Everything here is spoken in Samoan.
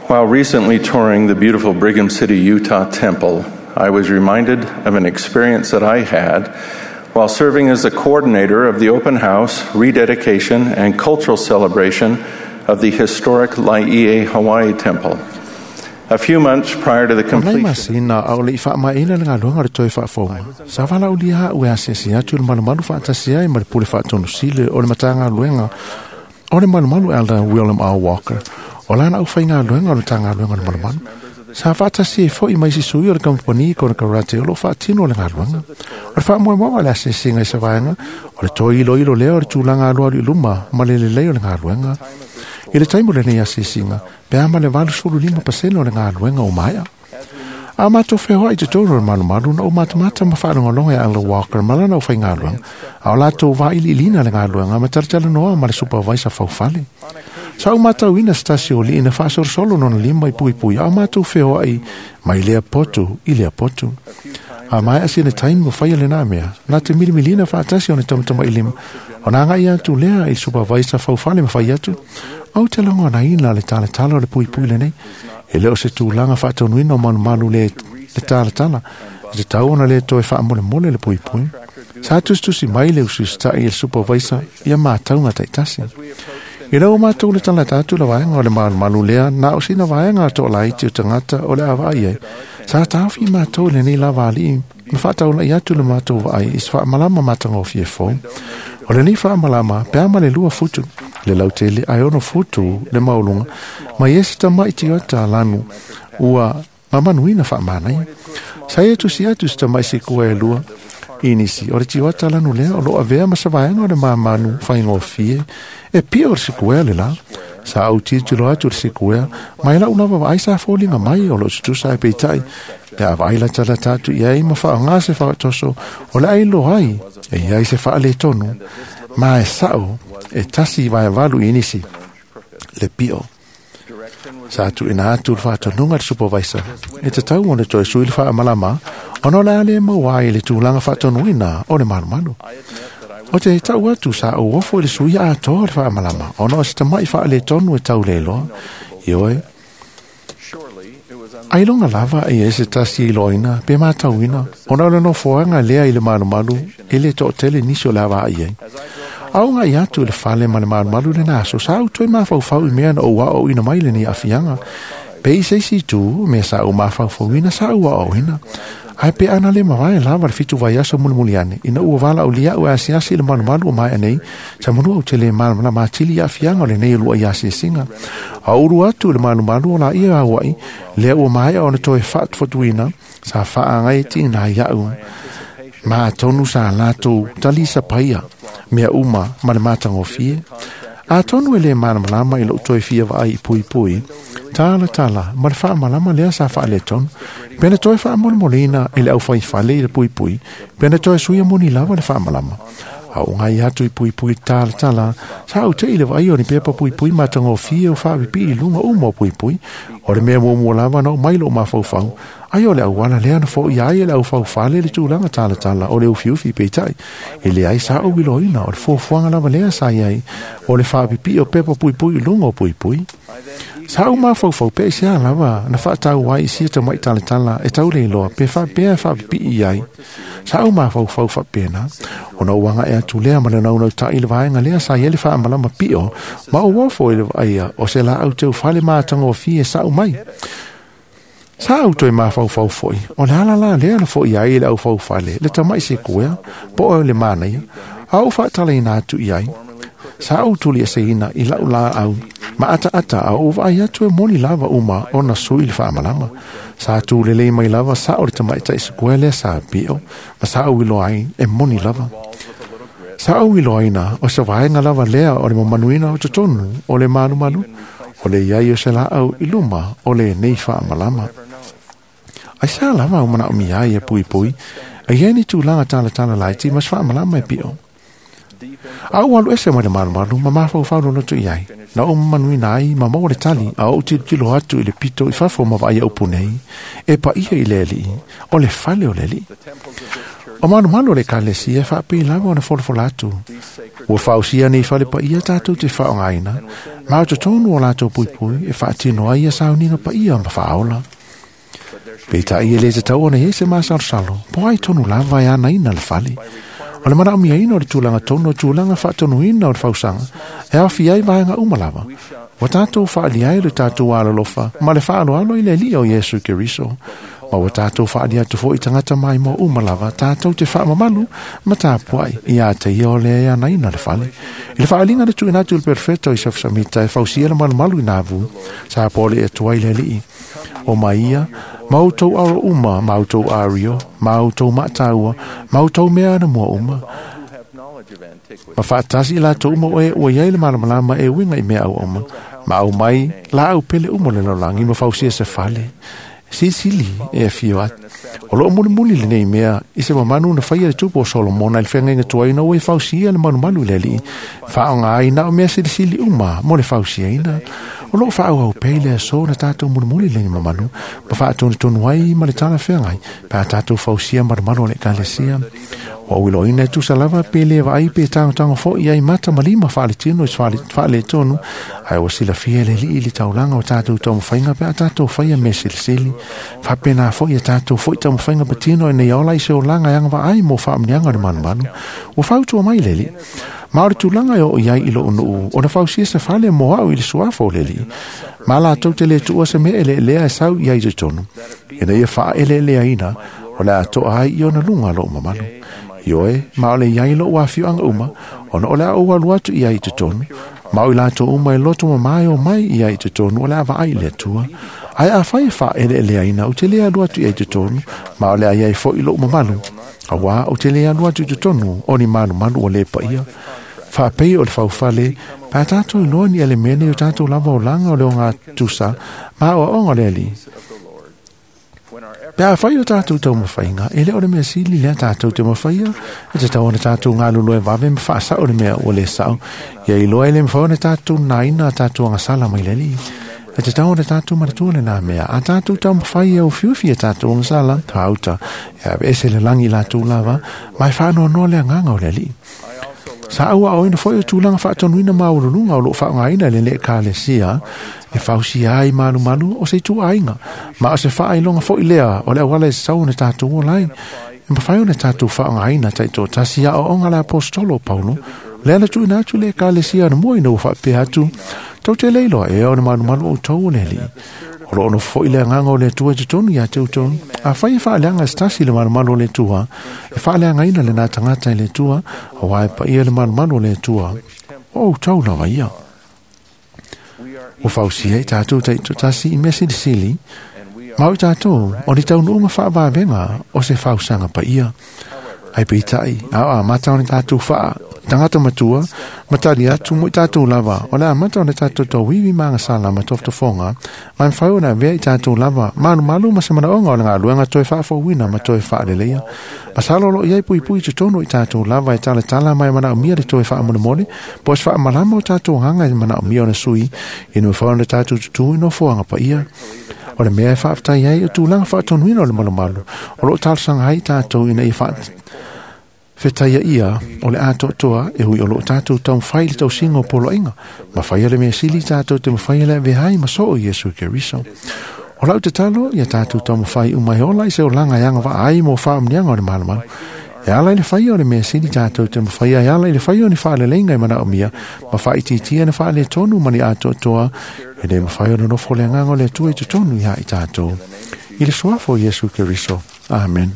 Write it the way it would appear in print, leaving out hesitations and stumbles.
While recently touring the beautiful Brigham City, Utah temple, I was reminded of an experience that I had while serving as the coordinator of the open house, rededication, and cultural celebration of the historic Laie Hawaii Temple. A few months prior to the O nai completion masina a o le i faamaeaina le galuega o le toe faafouga, sa valaaulia a'u e asiasi atu i le malumalu faatasi ai ma le pule faatonusili o le Matagaluega o le Malumalu Elder William R. Walker, o lana aufaigaluega o le Matagaluega o le Malumalu. Sa faatasi ai fo'i ma isi sui o le kamupani konekarate o loo faatino le galuega. O le faamoemoega o le asiasiga i se vaega, o le toe iloilo lea o le tulaga alualu i luma ma le lelei o le galuega. I le taimi o lenei asiasiga, pe a ma le 85% o le galuega o maea. A matou feoai i totonu o le malumalu na ou matamata ma faalogologo ia Elder Walker ma lana aufaigaluega, a o latou vailiiliina le galuega ma talatalanoa ma le supervisor faufale. Sa ou matauina se tasi o alii na faasolosolo lona lima i puipui a o matou feoai mai lea potu i lea potu. A maea sina taimi ua faia lenā mea, na te milimilina faatasi ona tamatamailima, ona agai atu lea i le supervisor faufale ma fai atu, Ou te lagonaina le talatala o le puipui lenei. E le o se tulaga faataunuina o malumalu le le talatala, e tatau ona le toe faamolemole le puipui. Sa tusitusi mai le usiusitai e le supervisor ia matauga taitasi. Ina ua matou le talata atu le vaega o le malumalu lea, na o sina vaega toalaiti o tagata o le a vaai ai. Sa taofi matou i lenei lava alii ma faataulai atu le matou vaai i se faamalama matagofie fou. O lenei faamalama, pe a ma le 2 futu le lautele ae 6 futu le maualuga, ma i ai se tamaiti tiota lanu ua mamanuina faamanaia. Sa ia tusi atu se tamai sikua e 2 i nisi o le tiota lanu lea o loo avea ma se vaega o le mamanu faigofie e pio o le sikuea le la. Sa ou tilotilo atu i le sikuea, ma e lau lava vaai sa foliga mai o loo tutusa ae peitai pe a vaai latalata atu i ai ma faaaoga se faatoso o le a iloa ai e i ai se faaletonu, ma e sao e 1.8 i nisi le pio. Sa tuuina atu le faatonuga i le supervisor e tatau ona toe sui le faamalama ona o le a le maua ai le tulaga faatonuina o le malumalu. O te tau atu sa ou ofo i le sui atoa o le faamalama ona o se tama'i faaletonu e tau le iloa. Ioe, ailoga lava e i ai se tasi e iloaina pe matauina ona o le nofoaga lea i le malumalu e le toatele nisi o le a vaai ai. A o agai atu i le fale ma le malumalu i lena aso, sa ou toe mafaufau i mea na ou aoaoina mai lenei aafiaga. Pe i se isi itu, mea sa ou mafaufauina sa ou aoaoina. Ae pe ana le mavae lava le 7 vaiaso mulimuli ane, ina ua valaaulia au e asiasi i le malumalu o maea nei, sa manua ou te le malamalama atili i aafiaga o lenei uluai asiasiga. A ulu atu i le malumalu o laia auai, lea ua maea ona toe faatufatuina, sa faaagai tiina ai au. Ma atonu sa latou talisa paia mea uma ma le matagofie. Atonu e le malamalama i lou toe fia vaai i puipui, talatala ma le faamalama lea sa faaletonu. Pe na toe faamolemoleina e le aufaifale i le puipui, pe na toe suia moni lava le faamalama. A o ngai atu i puipui talatala, sa ou te i le vaai o ni pepa puipui matagofie o faapipii i luga uma o puipui. O le mea muamua lava na oo mai lou mafaufau, ai o le auala lea na foia ai e le aufaufale le tulaga talatala o le ufiufi peitai. E leai sa ou iloaina o le fuafuaga lava lea sa i ai o le faapipii o pepa puipui i luga o puipui. Sa ou mafaufau pe aisea lava na faatau ai i sia tamai talatala e tau le iloa pe faapea e faapipii i ai. Sa ou mafaufau faapena, ona ou agae atu lea ma le naunautai i le vaega lea sa i ai le faamalama pio ma ou ofo i le vaaia o se laau teufale matagofie sa'u mai. Sa ou toe mafaufau foi, o le ala la lea na foia ai e le aufaufale le tama'i sekuea po o le manaia, a ou faatalaina atu i ai. Sa ou tuliaseina i la'u laau ma ataata a ou vaai atu e moni lava uma ona sui le faamalama. Sa tulelei mai lava sa'o le tamaitai sekuea lea sa pio, ma sa ou iloa ai e moni lava. Sa ou iloaina o se vaega lava lea o le mamanuina o totonu o le malumalu, o le i ai o se laau i luma o lenei faamalama. Aisea lava o manaomia ai e puipui, e i ai ni tulaga talatala laiti ma se faamalama e pio. A ou alu ese mai le malumalu ma mafaufau loloto i ai, na ou mamanuina ai ma maua le tali, a ou tilotilo atu i le pito i fafo ma vaai upu nei, e paia i le Alii, o le fale o le Alii. O malumalu o le Ekalesia e faapei lava ona folafola atu, Ua fausia nei fale paia tātou te whaongaina, ma o totonu o lātou puipui e whaatino ai ia sauniga paia ma whaola. Peitai e le te tau ona i se masalosalo, po ai tonu lava e anaina le fale. O le manaomiaina o le tulaga tonu o tulaga faatonuina o le fausaga, e aofia ai vaega uma lava. Ua tātou faaalia ai le tātou alolofa ma le faaaloalo i le Alii o Iesu Keriso. Ma ua tātou faaalia atu foi i tagata maimoa uma lava, tātou te faamamalu ma tapuai ia te ia o le anaina le fale. I le faaliga le tuuina atu i le Perofeta o Iosefo Samita e fausia le malumalu i Navu, sa pole e atu ai le Alii. O mai ia, ma outou aro uma, ma outou ario, ma outou maataua, ma outou mea ana mua uma. Ma faatasi i latou uma o e ua iai le malamalama e uiga i mea auauma, ma aumai laau pele uma o le lalolagi ma fausia se fale. Silisili e afio atu. O loo mulimuli lenei mea i se mamanu na faia le tupu o Solomona i le feagaiga tuaina ua e fausia le malumalu i le Alii, faaaoga ai na o mea silisili uma mo le fausiaina. O loo faaauau pea i le aso na tātou mulimuli lenei mamanu ma faatonutonu ai ma le talafeagai pe a tātou fausia malumalu o le Ekalesia. Ua uiloina e tusa lava pe le vaai pe tagotago foi ai mata ma lima faaletino i se faaletonu, ae ua silafia e le Alii le taulaga o tātou taumafaiga pe a tātou faia mea silisili. Faapena foi a tātou foi taumafaiga patino ina ia ola i se olaga e agavaa ai mo faamanuiaga o le malumalu. Ua fautua mai le Alii, Ma o le tulaga e oo i ai i lou nuu, ona fausia se fale mo au i le suafa o le Alii. Ma latou te le tuua se mea eleelea e sau i ai i totonu, ina ia faaeleeleaina, o le a toa ai i ona luga lou mamalu. Ioe, ma o le i ai lou afioaga uma, ona o le a ou alu atu i ai i totonu, ma o i latou uma e loto mamā e omai i ai i totonu, o le a vaai i le Atua. Ae afai e faaeleeleaina, ou te le alu atu i ai i totonu, ma o le a i ai foi lou mamalu, auā ou te le alu atu i totonu o ni malumalu ua le paia. Faapei o le faufale, pe a tātou iloa ni elemene i o tātou lava olaga o le ogatusa ma aoaoga o le Alii. Pe afai o tātou taumafaiga, e le o le mea sili lea tātou te mafaia, e tatau ona tātou galulue vave ma faasao le mea ua le sao, ia iloa e le mafai ona tātou nāina a tātou agasala mai le Alii. E tatau ona tātou manatua lenā mea, a tātou taumafai e ofiufi a tātou agasala, tāuta, e aveese le lagi i latou lava, ma e faanoanoa le agaga o le Alii. Sa auaoina foi o tulaga faatonuina maualuluga o loo faaaogaina e le Ekalesia e fausia ai malumalu o se ituaiga, ma o se faailoga foi lea o le auala e tatau ona tatou ola ai. E mafai ona tatou faaaogaina taitoatasi aoaoga a le Aposetolo o Paulo, lea na tuuina atu i le Ekalesia anamua ina ua faapea atu, Tou te le iloa ea o le malumalu outou o le Alii. O loo nofo foi le agaga o le Atua i totonu ia te outou. Afai e faaleaga e se tasi le malumalu o le Atua, e faaleagaina lenā tagata e le Atua, auā e paia le malumalu o le Atua, o outou lava ia. Ua fausia i tatou taitoatasi i mea silisili, ma o i tatou o ni taunuuga faavavega o se fausaga paia. Ai peitai, a o amata ona tatou faa tagata matua, ma tali atu mo i tatou lava, o le amata ona tatou tauivi ma agasala ma tofotofoga, ma e mafai ona avea i tatou lava malumalu ma se manaoga o le galuega toe faafouina ma toe faaleleia. Masalo o lo o i ai puipui i totonu o i tatou lava e talatala ma e manaomia le toe faamolemole, po o se faamalama o tatou agaga e manaomia ona sui, ina mafai ona tatou tutū i nofoaga paia. O le mea e faafetai ai o tulaga faatonuina o le malumalu o lo o talosaga ai tatou ina ia faafetaia ia o le atoatoa e ui o lo o tatou taumafai i le tausiga o poloaiga ma faia le mea sili tatou te mafai le avea ai ma soo i Iesu Keriso. O lau tatalo ia tatou taumafai uma e ola i se olaga e agavaa ai mo faamanuiaga o le malumalu. E ala i le faia o le mea sili tatou te mafaia e ala i le faia o ni faaleleiga e manaomia ma faaitiitia ni faaletonu ma ni atoatoa e le mafai ona nofo le agaga o le Atua i totonu iā i tatou. I le suafa o Iesu Keriso. Amen.